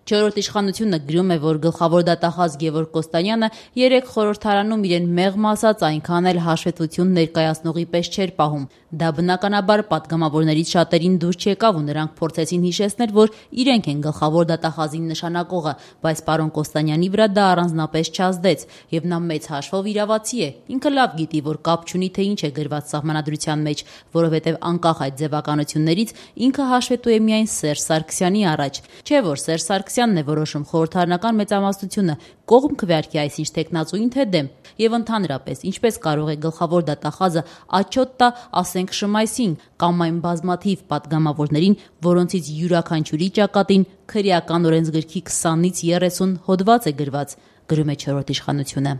Չորրորդ իշխանությունը գրում է, որ գլխավոր դատախազ Գևորգ Կոստանյանը երեկ խորհրդարանում իրեն մեղմ ասած այնքան էլ հաշվետվություն ներկայացնողի պես չէր պահում։ Դա բնականաբար պատգամավորներից շատերին դուր չեկավ ու նրանք փորձեցին հիշեցնել, որ իրենք են գլխավոր դատախազին նշանակողը, բայց պարոն Կոստանյանի վրա դա առանձնապես չազդեց, եւ նա մեծ հաշվով իրավացի է։ Ինքը լավ գիտի, որ կապ չունի, թե ինչ է գրված սահմանադրության մեջ, որովհետեւ անկախ այդ ձևականություններից ինքը հաշվետու է միայն Սերժ Սարգսյանի առաջ։ Չէ՞ որ Սերժ Սարգսյանն է որոշում խորհրդարանական մեծամասնությունը կողմ քվեարկի այսինչ տեխնացուին թե դեմ, եւ ընդհանրապես ինչպես կարող է գլխավոր դատախազը աչոտ տա, ասենք Շմայսին կամ այն բազմաթիվ պատգամավորներին, որոնցից յուրաքանչյուրի ճակատին քրեական օրենսգրքի 20-ից 30 հոդված է գրված, գրում է Չորրորդ իշխանությունը։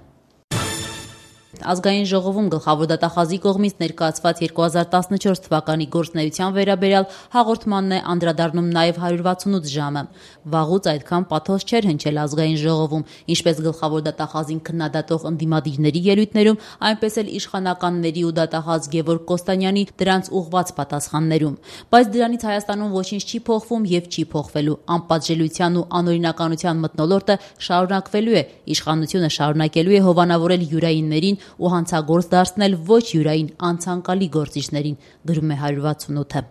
Ազգային ժողովում գլխավոր դատախազի կողմից ներկայացված 2014 թվականի գործունեության վերաբերյալ հաղորդմանն է անդրադառնում նաև 168 ժամը։ Վաղուց այդքան պաթոս չէր հնչել ազգային ժողովում, ինչպես գլխավոր դատախազին քննադատող ընդդիմադիրների ելույթներում, այնպես էլ իշխանականների ու դատախազ Գևորգ Կոստանյանի դրանց ուղղված պատասխաններում։ Բայց դրանից Հայաստանում ոչինչ չի փոխվում եւ չի փոխվելու։ Անպատժելիության ու անօրինականության մթնոլորտը շարունակվելու է, իշխանությունը շարունակելու է հովանավորել յուրայիններին ու հանցագործ դարձնել ոչ յուրային անցանկալի գործիչներին, գրում է 168-ը։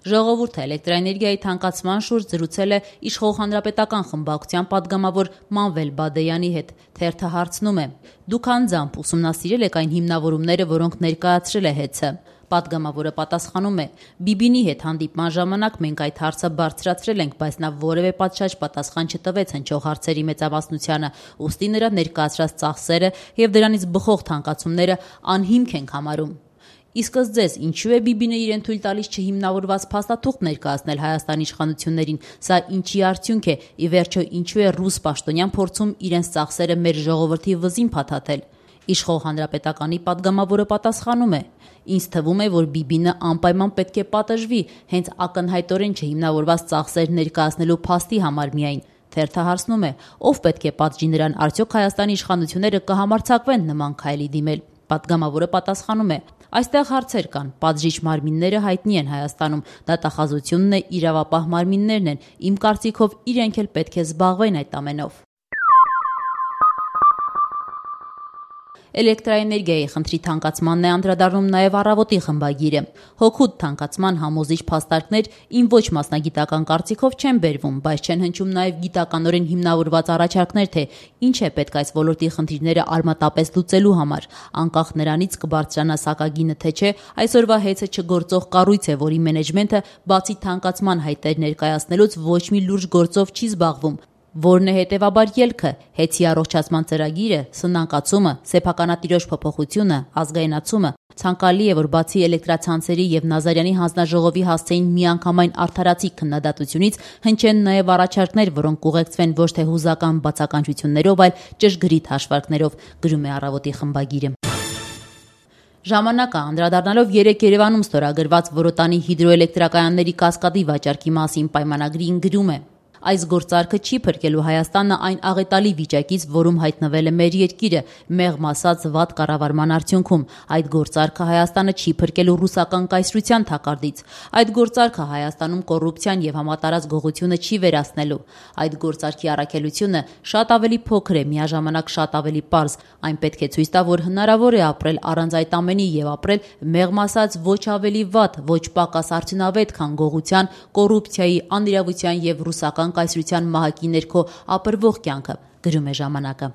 Ժողովուրդը էլեկտրաէներգիայի թանկացման շուրջ զրուցել է իշխող հանրապետական խմբակցության պատգամավոր Մանվել Բադեյանի հետ։ Թերթը հարցնում է. «Դուք անձամբ ուսումնասիրել եք այն հիմնավորումները, որոնք ներկայացրել է ՀԵՑ-ը»։ Պատգամավորը պատասխանում է. «Բիբինի հետ հանդիպման ժամանակ մենք այդ հարցը բարձրացրել ենք, բայց նա որևէ պատշաճ պատասխան չտվեց հնչող հարցերի մեծամասնությանը, ուստի նրա ներկայացրած ծախսերը եւ դրանից բխող թանկացումները անհիմք ենք համարում»։ Իսկ ըստ ձեզ, ինչու է Բիբինը իրեն թույլ տալիս չհիմնավորված փաստաթուղթ ներկայացնել Հայաստանի իշխանություններին, սա ինչի արդյունք է, ի վերջո ինչու է ռուս պաշտոնյան փորձում իրենց ծախսերը մեր ժողովրդի վզին փաթաթել։ Իշխող հանրապետականի պատգամավորը պատասխանում է. «Ինձ թվում է, որ Բիբինը անպայման պետք է պատժվի, հենց ակնհայտորեն չհիմնավորված ծախսեր ներկայացնելու փաստի համար միայն»։ Թերթը հարցնում է. «Ով պետք է պատժի նրան, արդյոք Հայաստանի իշխանությունները կհամարձակվեն նման քայլի դիմել»։ Պատգամավորը պատասխանում է. «Այստեղ հարցեր կան, պատժիչ մարմինները հայտնի են Հայաստանում, դատախազությունն է, իրավապահ մարմիններն են, իմ կարծիքով իրենք էլ պետք է զբաղվեն այդ ամենով»։ Էլեկտրաէներգիայի խնդրի թանկացմանն է անդրադառնում նաև Առավոտի խմբագիրը։ Հօգուտ թանկացման համոզիչ փաստարկներ իմ ոչ մասնագիտական կարծիքով չեն բերվում, բայց չեն հնչում նաև գիտականորեն հիմնավորված առաջարկներ, թե ինչ է պետք այս ոլորտի խնդիրները արմատապես լուծելու համար։ Անկախ նրանից կբարձրանա սակագինը թե չէ, այսօրվա ՀԵՑ-ը չգործող կառույց է, որի մենեջմենթը բացի թանկացման հայտեր ներկայացնելուց ոչ մի լուրջ գործով չի զբաղվում։ Որն է հետևաբար ելքը՝ ՀԵՑ-ի առողջացման ծրագիրը, սնանկացումը, սեփականատիրոջ փոփոխությունը, ազգայնացումը։ Ցանկալի է, որ բացի էլեկտրացանցերի եւ Նազարյանի հանձնաժողովի հասցեին միանգամայն արդարացիկ քննադատությունից հնչեն նաեւ առաջարկներ, որոնք կուղեկցվեն ոչ թե հուզական բացականչություններով, այլ ճշգրիտ հաշվարկներով, գրում է Առավոտի խմբագիրը։ Ժամանակը անդրադառնալով երեկ Երևանում ստորագրված Որոտանի հիդրոէլեկտրակայանների կասկադի վաճառքի մասին պայմանագրին գրում է. «Այս գործարքը չի փրկելու Հայաստանը այն աղետալի վիճակից, որում հայտնվել է մեր երկիրը, մեղմ ասած վատ կառավարման արդյունքում։ Այդ գործարքը Հայաստանը չի փրկելու ռուսական կայսրության թակարդից։ Այդ գործարքը Հայաստանում կոռուպցիան եւ համատարած գողությունը չի վերացնելու։ Այդ գործարքի առաքելությունը շատ ավելի փոքր է, միաժամանակ շատ ավելի պարզ։ Այն պետք է ցույց տա, որ հնարավոր է ապրել առանց այդ ամենի եւ ապրել մեղմ ասած ոչ ավելի վատ, ոչ պակաս արդյունավետ, քան գողության, կոռուպցիայի, անիրավության եւ ռուսական կայսրության մահակի ներքո ապրվող կյանքը», գրում է ժամանակը։